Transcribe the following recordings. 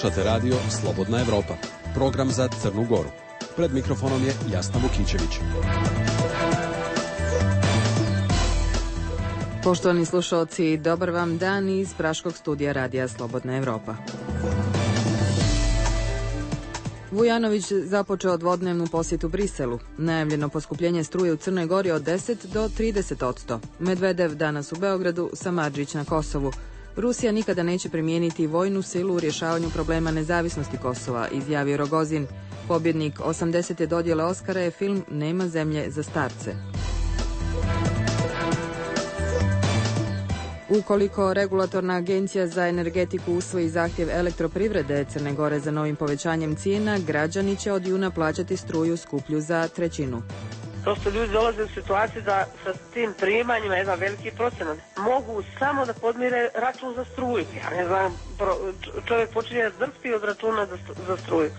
Slušate radio Slobodna Evropa, program za Crnu Goru. Pred mikrofonom je Jasna Vukićević. Poštovani slušalci, dobar vam dan iz praškog studija radija Slobodna Evropa. Vujanović započeo dvodnevnu posjetu Briselu. Najavljeno poskupljenje struje u Crnoj Gori od 10 do 30%. Medvedev danas u Beogradu, Samardžić na Kosovu. Rusija nikada neće primijeniti vojnu silu u rješavanju problema nezavisnosti Kosova, izjavio Rogozin. Pobjednik 80. dodjele Oskara je film Nema zemlje za starce. Ukoliko Regulatorna agencija za energetiku usvoji zahtjev Elektroprivrede Crne Gore za novim povećanjem cijena, građani će od juna plaćati struju skuplju za trećinu. Prosto ljudi dolaze u situaciju da sa tim primanjima, jedan veliki procenat, mogu samo da podmire račun za struju. Ja ne znam, čovjek počinje drpti od računa za struju.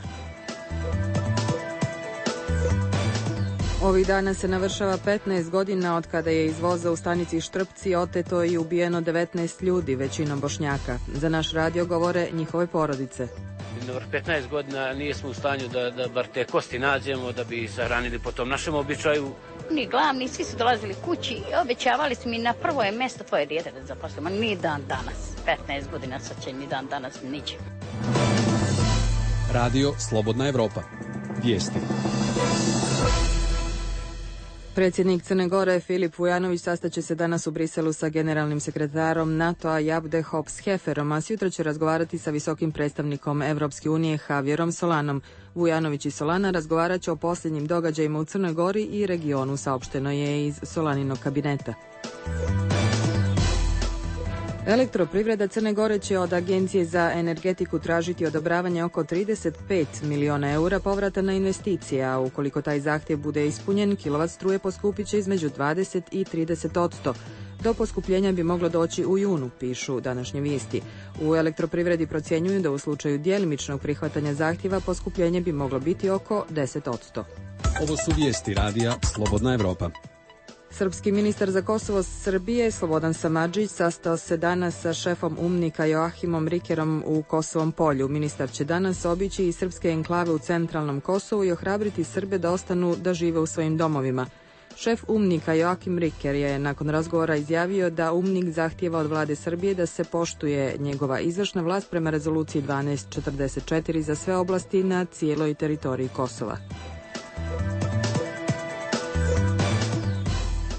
Ovih dana se navršava 15 godina od kada je iz voza u stanici Štrpci oteto i ubijeno 19 ljudi, većinom Bošnjaka. Za naš radio govore njihove porodice. Na 15 godina nismo u stanju da bar te kosti nađemo, da bi sahranili po tom našem običaju. Ni glavni, svi su dolazili kući i obećavali su mi na prvo je mjesto tvoje dijete da zaposlimo. Ni dan danas, 15 godina sad će ni dan danas niđe. Radio Slobodna Evropa. Vijesti. Predsjednik Crne Gore Filip Vujanović sastaće se danas u Briselu sa generalnim sekretarom NATO-a Jabde Hops-Heferom, a sutra će razgovarati sa visokim predstavnikom Evropske unije Javierom Solanom. Vujanović i Solana razgovarat će o posljednjim događajima u Crnoj Gori i regionu, saopšteno je iz Solaninog kabineta. Elektroprivreda Crne Gore će od Agencije za energetiku tražiti odobravanje oko 35 miliona eura povrata na investicije, a ukoliko taj zahtjev bude ispunjen, kilovat struje poskupit će između 20 i 30%. Do poskupljenja bi moglo doći u junu, pišu današnje vijesti. U elektroprivredi procjenjuju da u slučaju djelimičnog prihvatanja zahtjeva poskupljenje bi moglo biti oko 10%. Ovo su vijesti radija Slobodna Evropa. Srpski ministar za Kosovo Srbije Slobodan Samardžić sastao se danas sa šefom UNMIK-a Joachimom Rikerom u Kosovom polju. Ministar će danas obići i srpske enklave u centralnom Kosovu i ohrabriti Srbe da ostanu da žive u svojim domovima. Šef UNMIK-a Joachim Riker je nakon razgovora izjavio da UNMIK zahtijeva od vlade Srbije da se poštuje njegova izvršna vlast prema rezoluciji 1244 za sve oblasti na cijeloj teritoriji Kosova.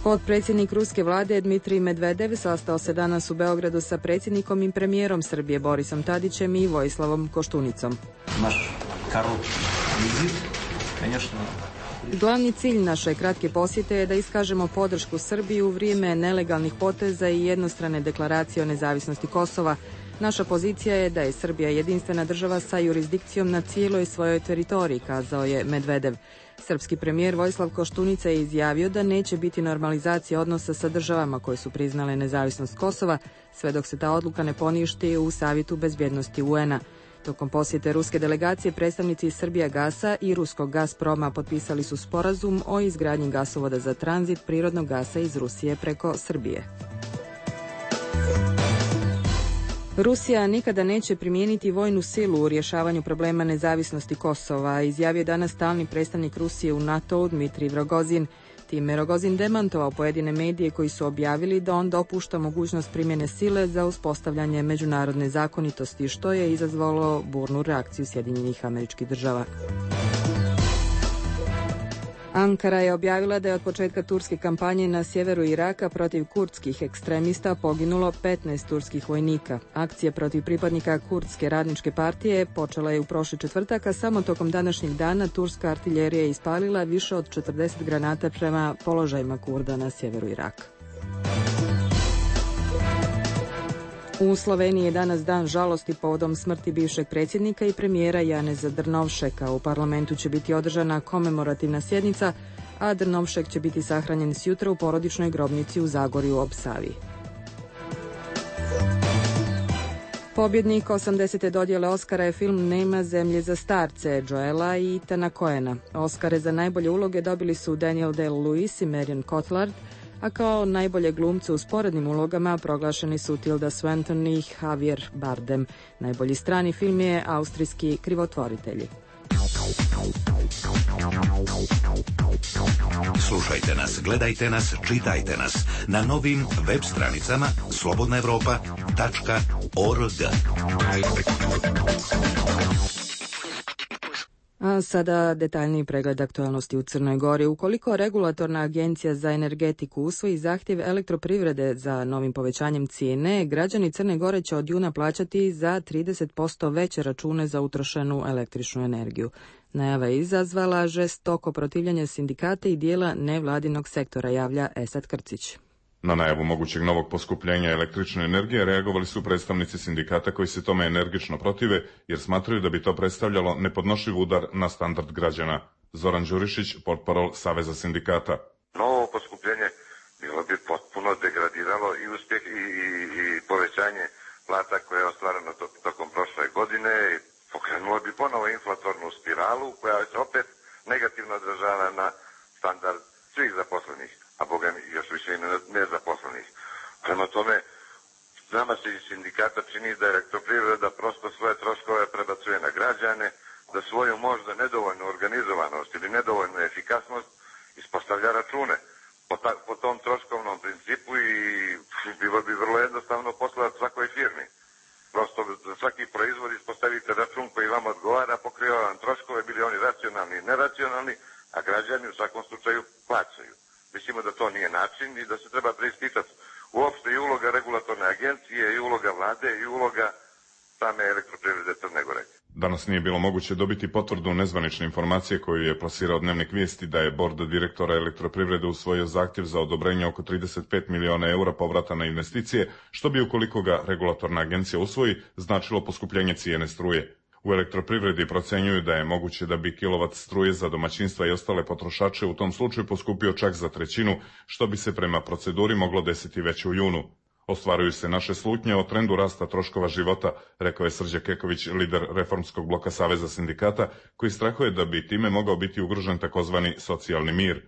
Potpredsjednik ruske vlade Dmitrij Medvedev sastao se danas u Beogradu sa predsjednikom i premijerom Srbije Borisom Tadićem i Vojislavom Koštunicom. Glavni cilj naše kratke posjete je da iskažemo podršku Srbiji u vrijeme nelegalnih poteza i jednostrane deklaracije o nezavisnosti Kosova. Naša pozicija je da je Srbija jedinstvena država sa jurisdikcijom na cijeloj svojoj teritoriji, kazao je Medvedev. Srpski premijer Vojislav Koštunica je izjavio da neće biti normalizacije odnosa sa državama koje su priznale nezavisnost Kosova, sve dok se ta odluka ne poništi u Savjetu bezbjednosti UN-a. Tokom posjete ruske delegacije predstavnici Srbijagasa i ruskog Gazproma potpisali su sporazum o izgradnji gasovoda za tranzit prirodnog gasa iz Rusije preko Srbije. Rusija nikada neće primijeniti vojnu silu u rješavanju problema nezavisnosti Kosova, izjavio danas stalni predstavnik Rusije u NATO-u Dmitrij Rogozin. Time Rogozin demantovao pojedine medije koji su objavili da on dopušta mogućnost primjene sile za uspostavljanje međunarodne zakonitosti, što je izazvalo burnu reakciju Sjedinjenih Američkih Država. Ankara je objavila da je od početka turske kampanje na sjeveru Iraka protiv kurdskih ekstremista poginulo 15 turskih vojnika. Akcija protiv pripadnika kurdske radničke partije počela je u prošli četvrtak, a samo tokom današnjeg dana turska artiljerija je ispalila više od 40 granata prema položajima Kurda na sjeveru Iraka. U Sloveniji je danas dan žalosti povodom smrti bivšeg predsjednika i premijera Janeza Drnovšeka. U parlamentu će biti održana komemorativna sjednica, a Drnovšek će biti sahranjen sjutra u porodičnoj grobnici u Zagorju ob Savi. Pobjednik 80. dodjele Oskara je film Nema zemlje za starce, Joela i Ethana Coena. Oskare za najbolje uloge dobili su Daniel Day-Lewis i Marion Cotillard, a kao najbolje glumce u sporednim ulogama proglašeni su Tilda Swinton i Javier Bardem. Najbolji strani film je austrijski Krivotvoritelji. Slušajte nas, gledajte nas, čitajte nas na novim web stranicama slobodnaevropa.org. A sada detaljniji pregled aktualnosti u Crnoj Gori. Ukoliko Regulatorna agencija za energetiku usvoji zahtjev elektroprivrede za novim povećanjem cijene, građani Crne Gore će od juna plaćati za 30% veće račune za utrošenu električnu energiju. Najava je izazvala žestoko protivljenje sindikata i dijela nevladinog sektora, javlja Esad Krcić. Na najavu mogućeg novog poskupljenja električne energije reagovali su predstavnici sindikata koji se tome energično protive jer smatraju da bi to predstavljalo nepodnošljiv udar na standard građana. Zoran Đurišić, portparol Saveza sindikata. Novo poskupljenje bilo bi potpuno degradiralo i uspjeh i povećanje plata koje je ostvareno tokom prošle godine i pokrenulo bi ponovo inflatornu spiralu koja se opet negativno odražava na standard svih zaposlenih, a boga mi još više i nezaposlenih. Prema tome, nama se iz sindikata čini da elektroprivreda prosto svoje troškove prebacuje na građane, da svoju možda nedovoljnu organizovanost ili nedovoljnu efikasnost ispostavlja račune po tom troškovnom principu i bilo bi vrlo jednostavno poslati svakoj firmi. Prosto za svaki proizvod ispostavite račun koji vam odgovara, pokriva vam troškove, bili oni racionalni i neracionalni, a građani u svakom slučaju plaćaju. Mislimo da to nije način i da se treba preispitati uopšte i uloga regulatorne agencije, i uloga vlade, i uloga same elektroprivrede Crne Gore. Danas nije bilo moguće dobiti potvrdu nezvanične informacije koju je plasirao Dnevnik Vijesti da je bord direktora elektroprivrede usvojio zahtjev za odobrenje oko 35 miliona eura povrata na investicije, što bi ukoliko ga regulatorna agencija usvoji značilo poskupljenje cijene struje. U elektroprivredi procenjuju da je moguće da bi kilovat struje za domaćinstva i ostale potrošače u tom slučaju poskupio čak za trećinu, što bi se prema proceduri moglo desiti već u junu. Ostvaruju se naše slutnje o trendu rasta troškova života, rekao je Srđan Keković, lider reformskog bloka Saveza sindikata, koji strahuje da bi time mogao biti ugrožen takozvani socijalni mir.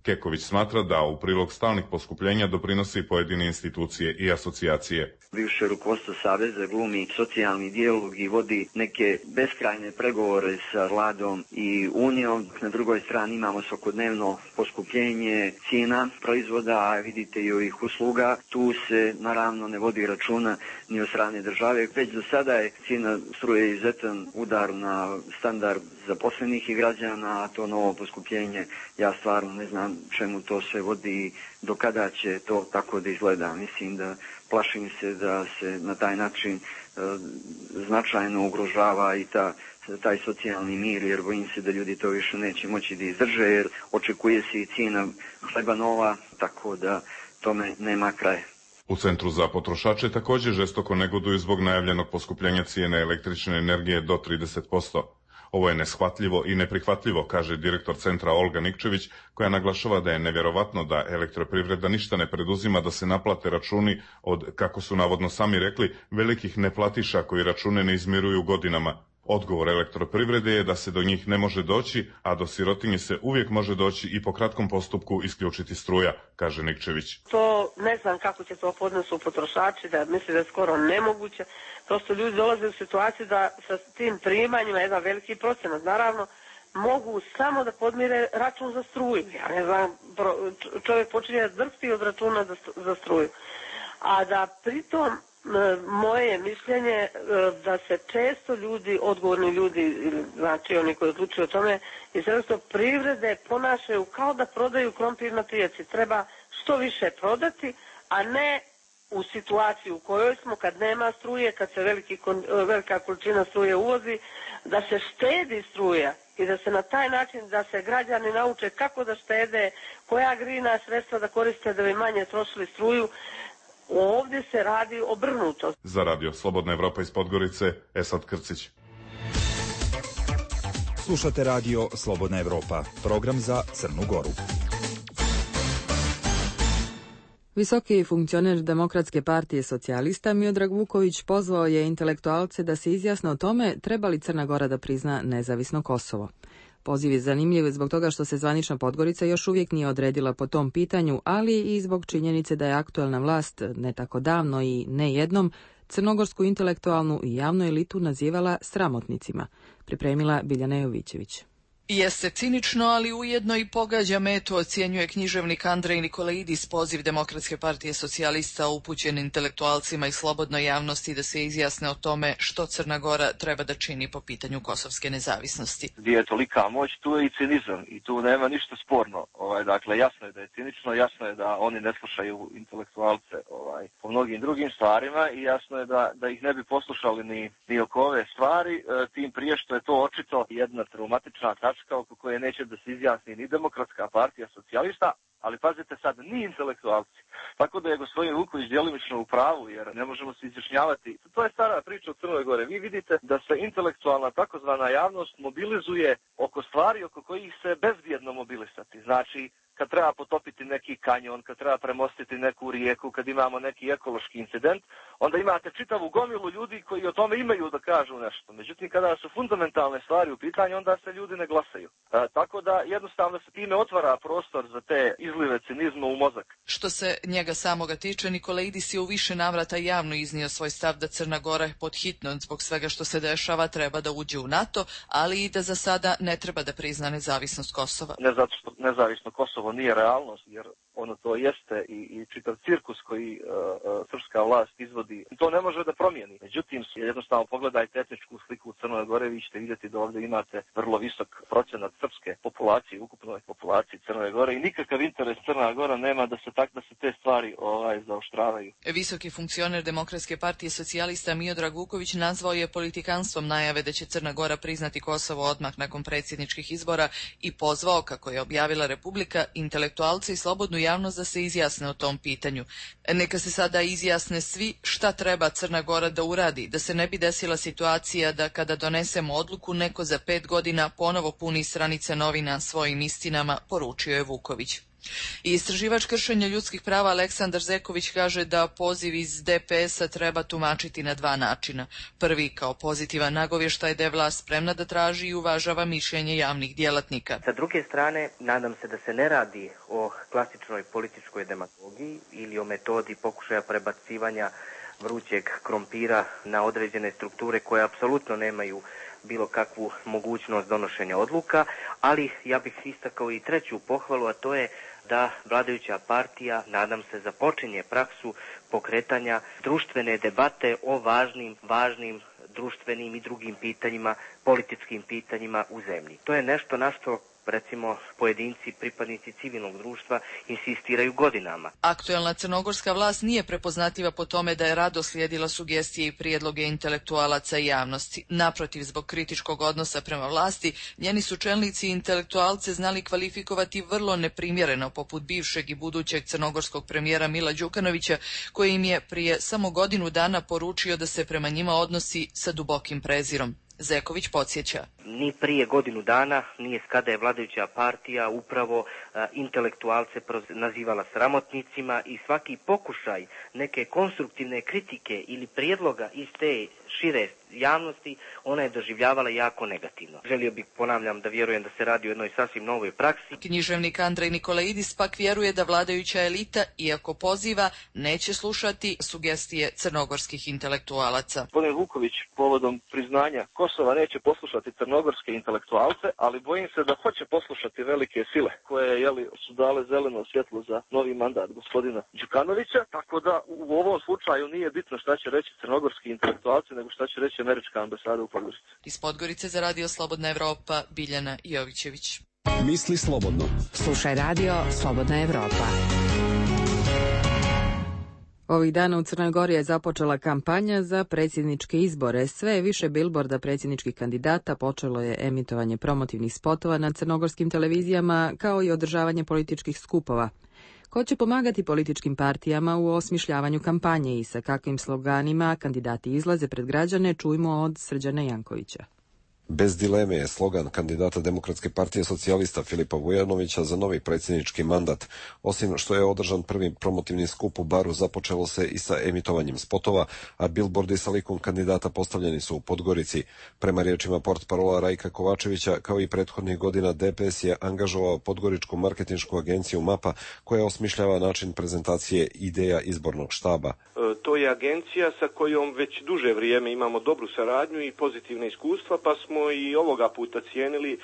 Keković smatra da u prilog stalnih poskupljenja doprinosi pojedine institucije i asocijacije. Bivše rukovodstvo Saveza glumi socijalni dijalog i vodi neke beskrajne pregovore sa vladom i unijom. Na drugoj strani imamo svakodnevno poskupljenje cijena proizvoda, a vidite i ovih usluga. Tu se naravno ne vodi računa ni od strane države. Već do sada je cijena struje izuzetan udar na standard zaposlenih i građana, a to novo poskupljenje, ja stvarno ne znam čemu to sve vodi, do kada će to tako da izgleda. Mislim da plašim se da se na taj način značajno ugrožava i taj socijalni mir, jer bojim se da ljudi to više neće moći da izdrže, jer očekuje se i cijena hleba nova, tako da tome nema kraja. U Centru za potrošače također žestoko negoduju zbog najavljenog poskupljenja cijene električne energije do 30%. Ovo je neshvatljivo i neprihvatljivo, kaže direktor centra Olga Nikčević, koja naglašava da je nevjerovatno da elektroprivreda ništa ne preduzima da se naplate računi od, kako su navodno sami rekli, velikih neplatiša koji račune ne izmiruju godinama. Odgovor elektroprivrede je da se do njih ne može doći, a do sirotinje se uvijek može doći i po kratkom postupku isključiti struja, kaže Nikčević. To ne znam kako će to podnesu potrošači, da misle da je skoro nemoguće. Prosto ljudi dolaze u situaciju da sa tim primanjima jedan veliki procenat, naravno, mogu samo da podmire račun za struju. Ja ne znam, čovjek počinje drpti od računa za struju. A da pritom moje mišljenje da se često ljudi, odgovorni ljudi, znači oni koji odlučuju o tome, iz privrede ponašaju kao da prodaju krompir na pijaci. Treba što više prodati, a ne u situaciju u kojoj smo, kad nema struje, kad se velika količina struje uvozi, da se štedi struja i da se na taj način, da se građani nauče kako da štede, koja grina sredstva da koriste da bi manje trošili struju. Ovdje se radi obrnuto. Za radio Slobodna Evropa iz Podgorice, Esad Krcić. Slušate radio Slobodna Evropa, program za Crnu Goru. Visoki funkcioner Demokratske partije socijalista Miodrag Vuković pozvao je intelektualce da se izjasne o tome treba li Crna Gora da prizna nezavisno Kosovo. Poziv je zanimljiv zbog toga što se zvanična Podgorica još uvijek nije odredila po tom pitanju, ali i zbog činjenice da je aktualna vlast ne tako davno i ne jednom crnogorsku intelektualnu i javnu elitu nazivala sramotnicima, pripremila Biljana Jovićević. Jeste cinično, ali ujedno i pogađa metu, ocjenjuje književnik Andrej Nikolaidis poziv Demokratske partije socijalista upućen intelektualcima i slobodnoj javnosti da se izjasne o tome što Crna Gora treba da čini po pitanju kosovske nezavisnosti. Gdje je tolika moć, tu je i cinizam i tu nema ništa sporno. Dakle, jasno je da je cinično, jasno je da oni ne slušaju intelektualce po mnogim drugim stvarima i jasno je da ih ne bi poslušali ni oko ove stvari, tim prije što je to očito jedna traumatična tačka oko koje neće da se izjasni ni Demokratska partija socijalista, ali pazite sad, ni intelektualci. Tako da je gospodin Vuković djelimično u pravu, jer ne možemo se izjašnjavati. To je stara priča u Crnoj Gore. Vi vidite da se intelektualna takozvana javnost mobilizuje oko stvari oko kojih se bezbjedno mobilisati. Znači, kad treba potopiti neki kanjon, kad treba premostiti neku rijeku, kad imamo neki ekološki incident, onda imate čitavu gomilu ljudi koji o tome imaju da kažu nešto. Međutim, kada su fundamentalne stvari u pitanju, onda se ljudi ne glasaju. Tako da jednostavno se time otvara prostor za te izlive cinizma u mozak. Što se njega samoga tiče, Nikolaidis je u više navrata javno iznio svoj stav da Crna Gora pod hitno zbog svega što se dešava treba da uđe u NATO, ali i da za sada ne treba da prizna nezavisnost Kosova. Ne zato što nezavisno Kosovo nije realnost, jer ono to jeste i čitav cirkus koji srpska vlast izvodi, to ne može da promijeni. Međutim, jednostavno pogledajte etničku sliku u Crnoj Gore, vi ćete vidjeti da ovdje imate vrlo visok procenat srpske populacije, ukupnoj populaciji Crne Gore i nikakav interes Crna Gora nema da se te stvari zaoštravaju. Visoki funkcioner Demokratske partije socijalista Miodrag Vuković nazvao je politikanstvom najave da će Crna Gora priznati Kosovo odmah nakon predsjedničkih izbora i pozvao, kako je objavila Republika, intelektualce i slobodnu javnost da se izjasne o tom pitanju. Neka se sada izjasne svi šta treba Crna Gora da uradi, da se ne bi desila situacija da kada donesemo odluku neko za 5 godina ponovo puni stranice novina svojim istinama, poručio je Vuković. I istraživač kršenja ljudskih prava Aleksandar Zeković kaže da poziv iz DPS-a treba tumačiti na 2 načina. Prvi kao pozitivan nagovještaj da je vlast spremna da traži i uvažava mišljenje javnih djelatnika. Sa druge strane, nadam se da se ne radi o klasičnoj političkoj demagogiji ili o metodi pokušaja prebacivanja vrućeg krompira na određene strukture koje apsolutno nemaju bilo kakvu mogućnost donošenja odluka, ali ja bih istakao i treću pohvalu, a to je da vladajuća partija, nadam se, započinje praksu pokretanja društvene debate o važnim društvenim i drugim pitanjima, političkim pitanjima u zemlji. To je nešto na što recimo pojedinci, pripadnici civilnog društva insistiraju godinama. Aktuelna crnogorska vlast nije prepoznatljiva po tome da je rado slijedila sugestije i prijedloge intelektualaca i javnosti. Naprotiv, zbog kritičkog odnosa prema vlasti, njeni su čelnici i intelektualce znali kvalifikovati vrlo neprimjereno, poput bivšeg i budućeg crnogorskog premijera Mila Đukanovića, koji im je prije samo godinu dana poručio da se prema njima odnosi sa dubokim prezirom. Zeković podsjeća. Ni prije godinu dana nije kada je vladajuća partija upravo intelektualce nazivala sramotnicima i svaki pokušaj neke konstruktivne kritike ili prijedloga iz te šire javnosti ona je doživljavala jako negativno. Želio bih, ponavljam, da vjerujem da se radi o jednoj sasvim novoj praksi. Književnik Andrej Nikolaidis pak vjeruje da vladajuća elita, iako poziva, neće slušati sugestije crnogorskih intelektualaca. Gospodin Vuković povodom priznanja Kosova neće poslušati crnogorske intelektualce, ali bojim se da hoće poslušati velike sile koje su dale zeleno svjetlo za novi mandat gospodina Đukanovića, tako da u ovom slučaju nije bitno šta će reći crnogorski intelektualci, nego šta će reći američka ambasada u Podgorici. Iz Podgorice za Radio Slobodna Evropa, Biljana Jovićević. Misli slobodno. Slušaj Radio Slobodna Evropa. Ovih dana u Crnoj Gori je započela kampanja za predsjedničke izbore. Sve je više bilborda predsjedničkih kandidata, počelo je emitovanje promotivnih spotova na crnogorskim televizijama, kao i održavanje političkih skupova. Ko će pomagati političkim partijama u osmišljavanju kampanje i sa kakvim sloganima kandidati izlaze pred građane, čujmo od Srđana Jankovića. Bez dileme je slogan kandidata Demokratske partije socijalista Filipa Vujanovića za novi predsjednički mandat. Osim što je održan prvi promotivni skup u Baru, započelo se i sa emitovanjem spotova, a bilbordi sa likom kandidata postavljeni su u Podgorici. Prema riječima portparola Rajka Kovačevića, kao i prethodnih godina, DPS je angažovao podgoričku marketinšku agenciju MAPA, koja osmišljava način prezentacije ideja izbornog štaba. To je agencija sa kojom već duže vrijeme imamo dobru saradnju i pozitivne iskustva, pa smo i ovoga puta cijenili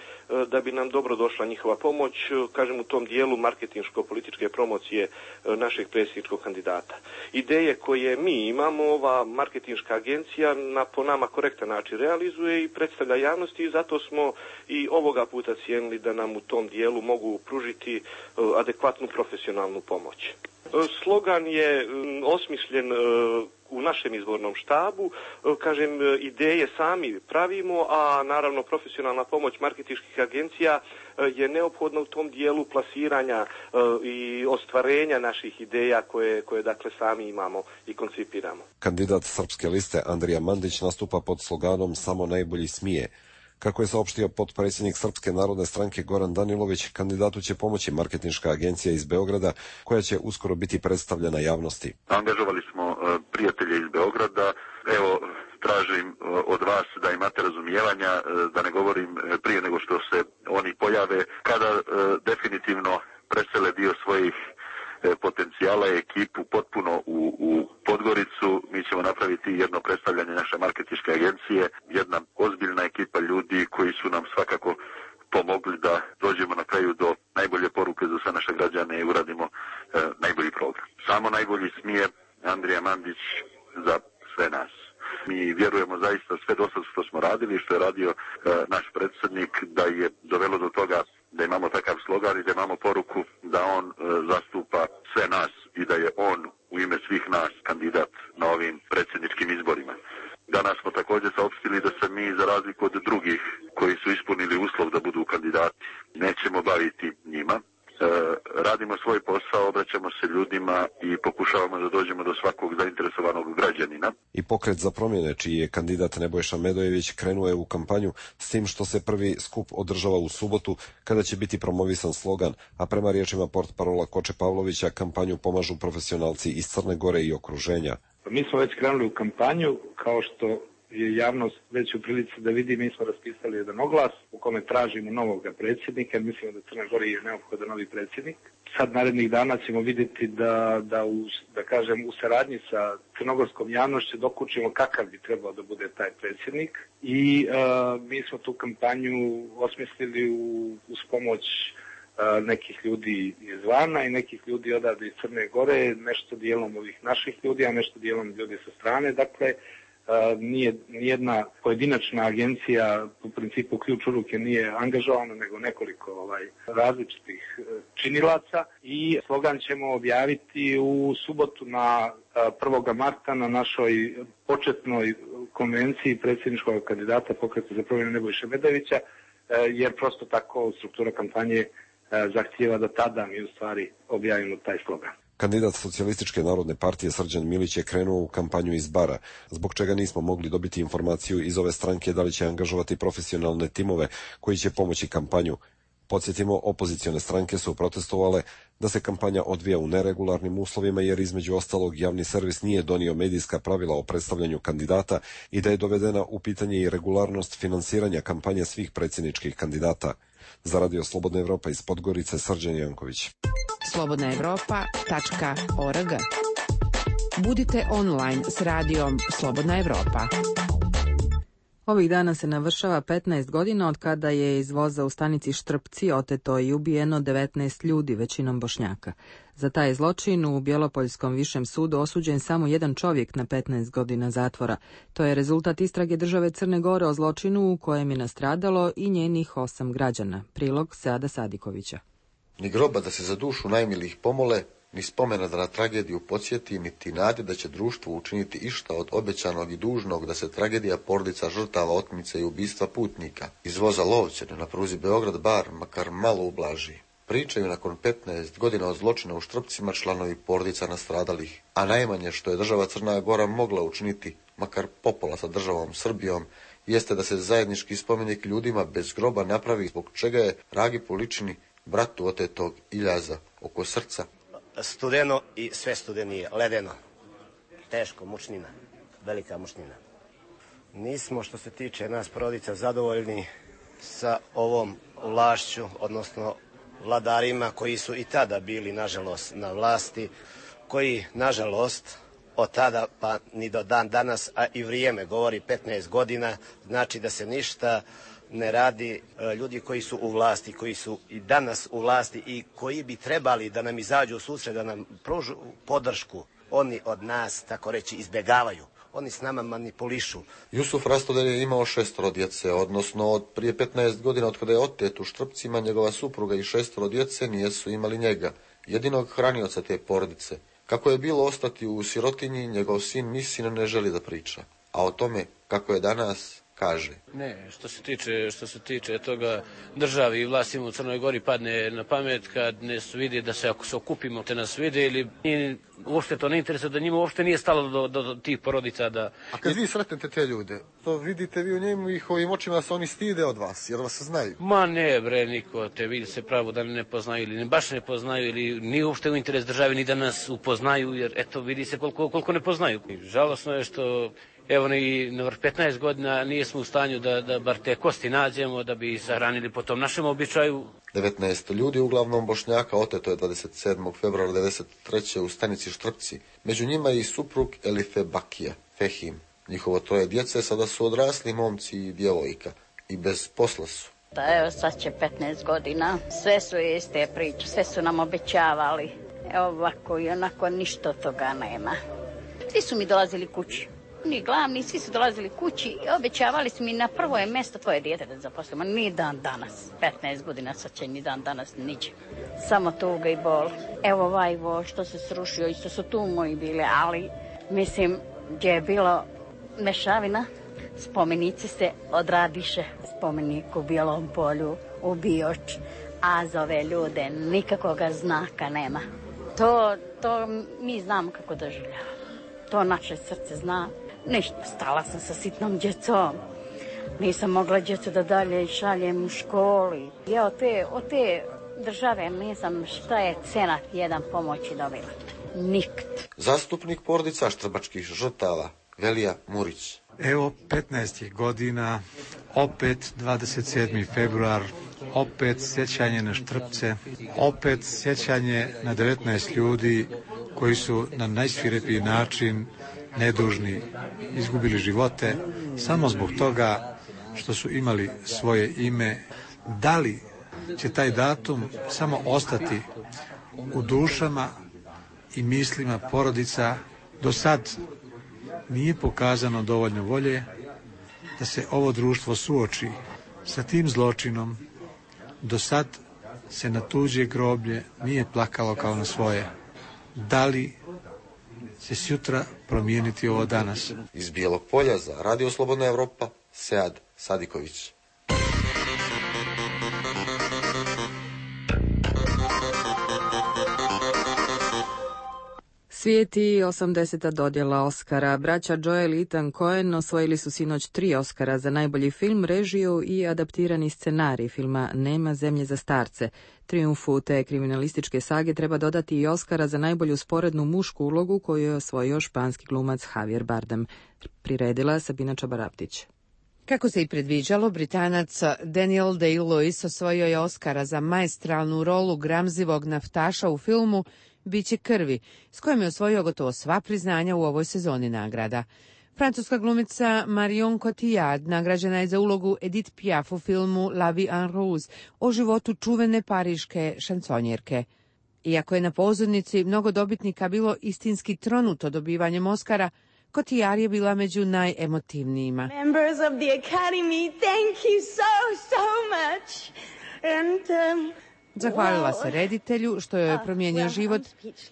da bi nam dobro došla njihova pomoć, kažem, u tom dijelu marketinško-političke promocije našeg predsjedničkog kandidata. Ideje koje mi imamo, ova marketinška agencija po nama korektan način realizuje i predstavlja javnosti i zato smo i ovoga puta cijenili da nam u tom dijelu mogu pružiti adekvatnu profesionalnu pomoć. Slogan je osmišljen u našem izbornom štabu, kažem, ideje sami pravimo, a naravno profesionalna pomoć marketinških agencija je neophodna u tom dijelu plasiranja i ostvarenja naših ideja koje dakle sami imamo i koncipiramo. Kandidat Srpske liste Andrija Mandić nastupa pod sloganom Samo najbolji smije. Kako je saopštio potpredsjednik Srpske narodne stranke Goran Danilović, kandidatu će pomoći marketinška agencija iz Beograda, koja će uskoro biti predstavljena javnosti. Angažovali smo prijatelje iz Beograda. Evo, tražim od vas da imate razumijevanja, da ne govorim prije nego što se oni pojave, kada definitivno presele dio svojih potencijala i ekipu potpuno u Podgoricu. Mi ćemo napraviti jedno predstavljanje naše marketinške agencije, jedna ozbiljna ekipa ljudi koji su nam svakako pomogli da dođemo na kraju do najbolje poruke za sve naše građane i uradimo najbolji program. Samo najbolji smije Andrija Mandić za sve nas. Mi vjerujemo zaista sve do sad što smo radili, što je radio naš predsjednik, da je dovelo do toga da imamo takav slogan i da imamo poruku da on zastupa sve nas i da je on u ime svih nas kandidat na ovim predsjedničkim izborima. Danas smo također saopštili da se mi, za razliku od drugih koji su ispunili uslov da budu kandidati, nećemo baviti njima. Radimo svoj posao, obraćamo se ljudima i pokušavamo da dođemo do svakog zainteresovanog građanina. I pokret za promjene, čiji je kandidat Nebojša Medojević, krenuo je u kampanju, s tim što se prvi skup održava u subotu, kada će biti promovisan slogan, a prema riječima portparola Koče Pavlovića, kampanju pomažu profesionalci iz Crne Gore i okruženja. Mi smo već krenuli u kampanju, kao što je javnost već u prilici da vidi, mi smo raspisali jedan oglas u kome tražimo novog predsjednika, jer mislimo da Crna Gora je neophodan novi predsjednik. Sad narednih dana ćemo vidjeti da kažem, u saradnji sa crnogorskom javnošću dokučimo kakav bi trebao da bude taj predsjednik i mi smo tu kampanju osmislili uz pomoć nekih ljudi izvana i nekih ljudi odavde iz Crne Gore, nešto dijelom ovih naših ljudi, a nešto dijelom ljudi sa strane. Dakle, nijedna pojedinačna agencija u principu ključ u ruke nije angažovana, nego nekoliko različitih činilaca i slogan ćemo objaviti u subotu na 1. marta na našoj početnoj konvenciji predsjedničkog kandidata Pokreta za promjenu Nebojše Medojevića, jer prosto tako struktura kampanje zahtijeva da tada mi u stvari objavimo taj slogan. Kandidat Socijalističke narodne partije Srđan Milić je krenuo u kampanju iz Bara, zbog čega nismo mogli dobiti informaciju iz ove stranke da li će angažovati profesionalne timove koji će pomoći kampanju. Podsjetimo, opozicione stranke su protestovale da se kampanja odvija u neregularnim uslovima, jer između ostalog javni servis nije donio medijska pravila o predstavljanju kandidata i da je dovedena u pitanje i regularnost finansiranja kampanje svih predsjedničkih kandidata. Za Radio Slobodna Evropa iz Podgorice, Srđan Janković. slobodnaevropa.org. Budite online s radijom Slobodna Evropa. Ovih dana se navršava 15 godina od kada je iz voza u stanici Štrpci oteto i ubijeno 19 ljudi, većinom Bošnjaka. Za taj zločin u Bjelopoljskom višem sudu osuđen samo jedan čovjek na 15 godina zatvora. To je rezultat istrage države Crne Gore o zločinu u kojem je nastradalo i njenih 8 građana. Prilog Seada Sadikovića. Ni groba da se za dušu najmilijih pomole, ni spomena da na tragediju podsjeti, niti nade da će društvo učiniti išta od obećanog i dužnog da se tragedija porodica žrtava otmice i ubistva putnika iz voza Lovćene na pruzi Beograd-Bar makar malo ublaži. Pričaju nakon 15 godina od zločina u Štrpcima članovi porodica nastradalih, a najmanje što je država Crna Gora mogla učiniti, makar popola sa državom Srbijom, jeste da se zajednički spomenik ljudima bez groba napravi, zbog čega je Ragi Poličini, bratu otetog Iljaza, oko srca. Studeno i sve studenije, ledeno. Teško, mučnina, velika mučnina. Nismo, što se tiče nas porodica, zadovoljni sa ovom vlašću, odnosno vladarima koji su i tada bili, nažalost, na vlasti, koji, nažalost, od tada pa ni do dan danas, a i vrijeme govori 15 godina, znači da se ništa ne radi. Ljudi koji su u vlasti, koji su i danas u vlasti i koji bi trebali da nam izađu u susret, da nam pružu podršku, oni od nas, tako reći, izbjegavaju. Oni s nama manipulišu. Jusuf Rastodelj je imao 6 djece, odnosno od prije 15 godina od kada je otet u Štrpcima, njegova supruga i 6 djece nijesu imali njega, jedinog hranioca te porodice. Kako je bilo ostati u sirotinji, njegov sin Misin ne želi da priča. A o tome kako je danas, kaže. Ne, što se tiče toga, državi i vlastima u Crnoj Gori padne na pamet kad ne vidi da se, ako se okupimo, te nas vide, ili uopšte to ne interesuje, da njima uopšte nije stalo do tih porodica. A kad vi sretnete te ljude, to vidite vi u njihovim očima da se oni stide od vas, jer vas znaju? Ma ne, bre, niko te vidi se pravo da ne poznaju ili baš ne poznaju, ili nije uopšte u interes državi ni da nas upoznaju, jer eto vidi se koliko ne poznaju. Žalosno je što evo ni na 15 godina nismo u stanju da bar te kosti nađemo, da bi sahranili po tom našem običaju. 19 ljudi, uglavnom Bošnjaka, oteto je 27. februara 1993. u stanici Štrpci. Među njima i suprug Elife Bakija, Fehim. Njihovo 3 djece sada su odrasli momci i djevojka i bez posla su. Da, evo sad će 15 godina, sve su iste priče, sve su nam obećavali. Evo ovako i onako ništa od toga nema. Svi su mi dolazili kući. Ni glavni, svi su dolazili kući i obećavali su mi na prvo je mjesto tvoje dijete da zaposlimo. Ni dan danas, 15 godina sad će ni dan danas niđe. Samo tuga i bol. Evo ovaj vol što se srušio, isto su tu moji bile, ali mislim gdje je bilo mešavina, spomenici se odradiše. Spomenik u Bijelom polju, u Bioč, a za ove ljude nikakvoga znaka nema. To mi znamo kako doživljavamo. To naše srce zna. Ništa, stala sam sa sitnom djecom. Nisam mogla djecu da dalje šaljem u školi. Ja od te države nisam šta je cenat jedan pomoći dobila. Nikt. Zastupnik porodica štrbačkih žrtava, Velija Murić. Evo 15 godina, opet 27. februar, opet sjećanje na Štrpce, opet sjećanje na 19 ljudi koji su na najsvirepiji način, nedužni, izgubili živote samo zbog toga što su imali svoje ime. Da li će taj datum samo ostati u dušama i mislima porodica? Do sad nije pokazano dovoljno volje da se ovo društvo suoči sa tim zločinom. Do sad se na tuđe groblje nije plakalo kao na svoje. Da li će sutra promijeniti ovo danas? Iz Bijelog polja za Radio Slobodna Evropa, Sead Sadiković. Svijet i 80. dodjela Oscara. Braća Joel i Ethan Coen osvojili su sinoć 3 Oscara za najbolji film, režiju i adaptirani scenarij filma Nema zemlje za starce. Trijumfu te kriminalističke sage treba dodati i Oscara za najbolju sporednu mušku ulogu koju je osvojio španski glumac Javier Bardem. Priredila Sabina Čabaraptić. Kako se i predviđalo, Britanac Daniel Day-Lewis osvojio je Oscara za maestralnu rolu gramzivog naftaša u filmu Biće krvi, s kojim je osvojio gotovo sva priznanja u ovoj sezoni nagrada. Francuska glumica Marion Cotillard nagrađena je za ulogu Edith Piaf u filmu La vie en rose o životu čuvene pariške šansonjerke. Iako je na pozornici mnogo dobitnika bilo istinski tronuto dobivanjem Oscara, Cotillard je bila među najemotivnijima. Members of the Academy, thank you so much. And zahvalila se reditelju što joj je promijenio život,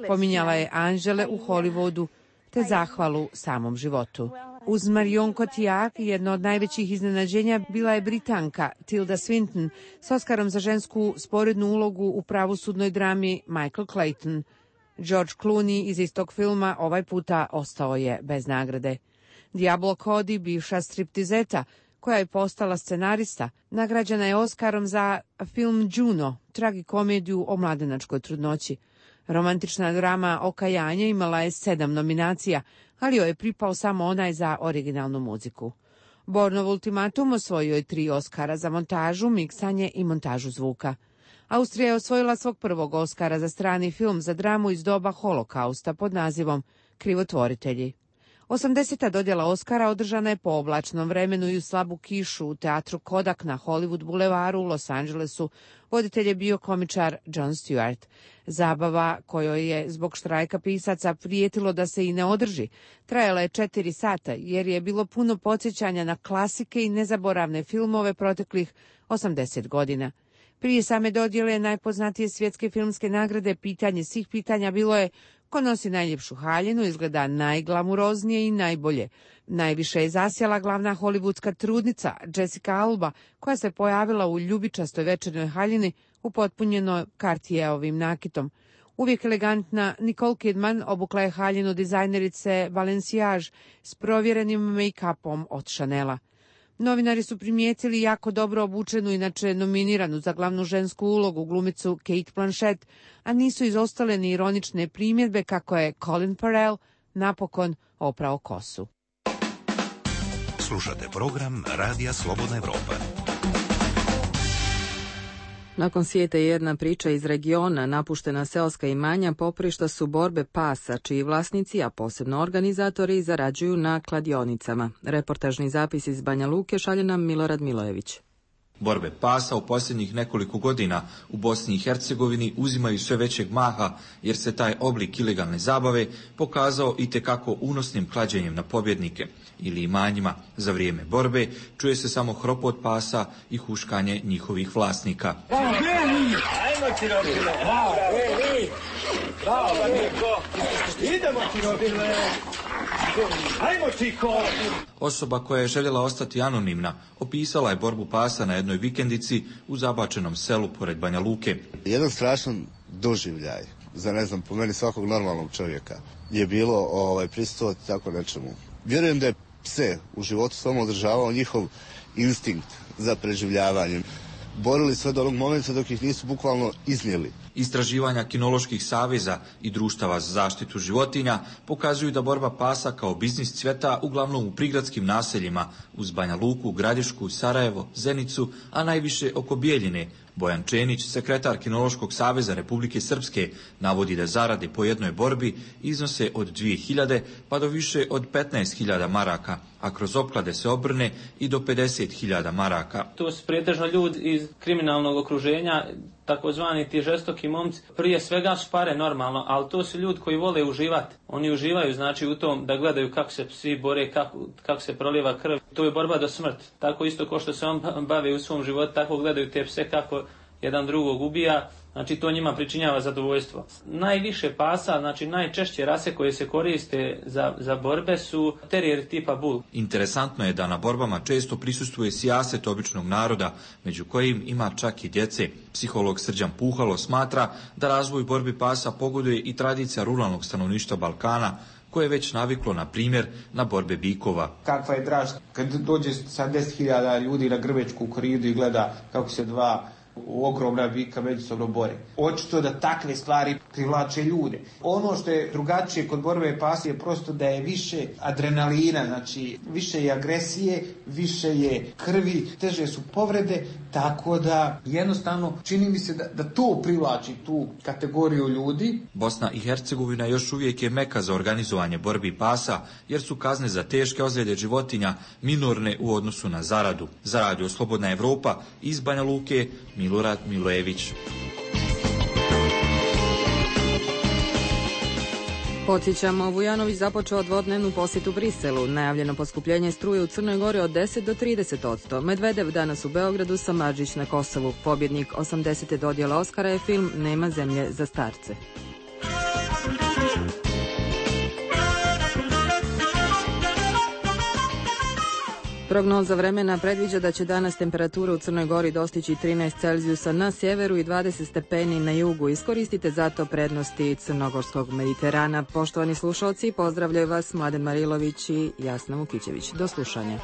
pominjala je anđele u Hollywoodu, te zahvalu samom životu. Uz Marion Cotillard jedno od najvećih iznenađenja bila je Britanka Tilda Swinton s Oskarom za žensku sporednu ulogu u pravosudnoj drami Michael Clayton. George Clooney iz istog filma ovaj puta ostao je bez nagrade. Diablo Cody, bivša striptizeta, koja je postala scenarista, nagrađena je Oskarom za film Juno, tragikomediju o mladenačkoj trudnoći. Romantična drama Okajanje imala je 7 nominacija, ali joj je pripao samo onaj za originalnu muziku. Bornov ultimatum osvojio je 3 Oskara za montažu, miksanje i montažu zvuka. Austrija je osvojila svog prvog Oskara za strani film za dramu iz doba holokausta pod nazivom Krivotvoritelji. 80. dodjela Oskara održana je po oblačnom vremenu i u slabu kišu u teatru Kodak na Hollywood bulevaru u Los Angelesu. Voditelj je bio komičar Jon Stewart. Zabava, kojoj je zbog štrajka pisaca prijetilo da se i ne održi, trajala je 4 sata jer je bilo puno podsjećanja na klasike i nezaboravne filmove proteklih 80 godina. Prije same dodjele najpoznatije svjetske filmske nagrade pitanje svih pitanja bilo je ko nosi najljepšu haljinu, izgleda najglamuroznije i najbolje. Najviše je zasjela glavna hollywoodska trudnica Jessica Alba, koja se pojavila u ljubičastoj večernoj haljini upotpunjenoj Cartierovim nakitom. Uvijek elegantna Nicole Kidman obukla je haljinu dizajnerice Balenciage s provjerenim make-upom od Chanela. Novinari su primijetili jako dobro obučenu, inače nominiranu za glavnu žensku ulogu glumicu Kate Blanchett, a nisu izostale ni ironične primjedbe kako je Colin Farrell napokon oprao kosu. Slušate program Radija Slobodna Evropa. Nakon svijeta jedna priča iz regiona, napuštena seoska imanja poprišta su borbe pasa, čiji vlasnici, a posebno organizatori, zarađuju na kladionicama. Reportažni zapis iz Banja Luke šalje nam Milorad Milojević. Borbe pasa u posljednjih nekoliko godina u Bosni i Hercegovini uzimaju sve većeg maha jer se taj oblik ilegalne zabave pokazao itekako unosnim klađenjem na pobjednike ili imanjima. Za vrijeme borbe čuje se samo hropot pasa i huškanje njihovih vlasnika. Osoba koja je željela ostati anonimna opisala je borbu pasa na jednoj vikendici u zabačenom selu pored Banja Luke. Jedan strašan doživljaj za, ne znam, po meni svakog normalnog čovjeka je bilo prisustvovati tako nečemu. Vjerujem da je pse u životu samo održavao njihov instinkt za preživljavanjem. Borili sve do onog momenta dok ih nisu bukvalno iznijeli. Istraživanja kinoloških saveza i društava za zaštitu životinja pokazuju da borba pasa kao biznis cvjeta uglavnom u prigradskim naseljima uz Banja Luku, Gradišku, Sarajevo, Zenicu, a najviše oko Bijeljine. Bojan Čenić, sekretar Kinološkog saveza Republike Srpske, navodi da zarade po jednoj borbi iznose od 2.000 pa do više od 15.000 maraka, a kroz opklade se obrne i do 50.000 maraka. To su pretežno ljudi iz kriminalnog okruženja, takozvani ti žestoki momci. Prije svega su pare normalno, ali to su ljudi koji vole uživati. Oni uživaju znači u tom da gledaju kako se psi bore, kako se prolijeva krv. To je borba do smrti. Tako isto kao što se on bavi u svom životu, tako gledaju te pse kako jedan drugog ubija. Znači to njima pričinjava zadovoljstvo. Najviše pasa, znači najčešće rase koje se koriste za borbe su terijeri tipa bull. Interesantno je da na borbama često prisustvuje sijaset običnog naroda, među kojim ima čak i djece. Psiholog Srđan Puhalo smatra da razvoj borbi pasa pogoduje i tradicija ruralnog stanovništva Balkana, koje je već naviklo, na primjer, na borbe bikova. Kakva je draž kad dođe sa 10.000 ljudi na Grvečku koridu i gleda kako se dva ogromna bika međusobno bore. Očito da takve stvari privlače ljude. Ono što je drugačije kod borbe pasa je prosto da je više adrenalina, znači više je agresije, više je krvi, teže su povrede, tako da jednostavno čini mi se da to privlači tu kategoriju ljudi. Bosna i Hercegovina još uvijek je meka za organizovanje borbi pasa, jer su kazne za teške ozljede životinja minorne u odnosu na zaradu. Za Radio Slobodna Evropa iz Banja Luke, Milorad Milojević. Podsjećamo, Vujanović započeo dvodnevnu posjetu Briselu. Najavljeno poskupljenje struje u Crnoj Gori od 10 do 30%. Medvedev danas u Beogradu, Samardžić na Kosovu. Pobjednik 80. dodjela Oskara je film Nema zemlje za starce. Prognoza vremena predviđa da će danas temperatura u Crnoj Gori dostići 13 Celzijusa na sjeveru i 20 stepeni na jugu. Iskoristite zato prednosti Crnogorskog Mediterana. Poštovani slušalci, pozdravljaju vas Mladen Marilović i Jasna Vukićević. Do slušanja.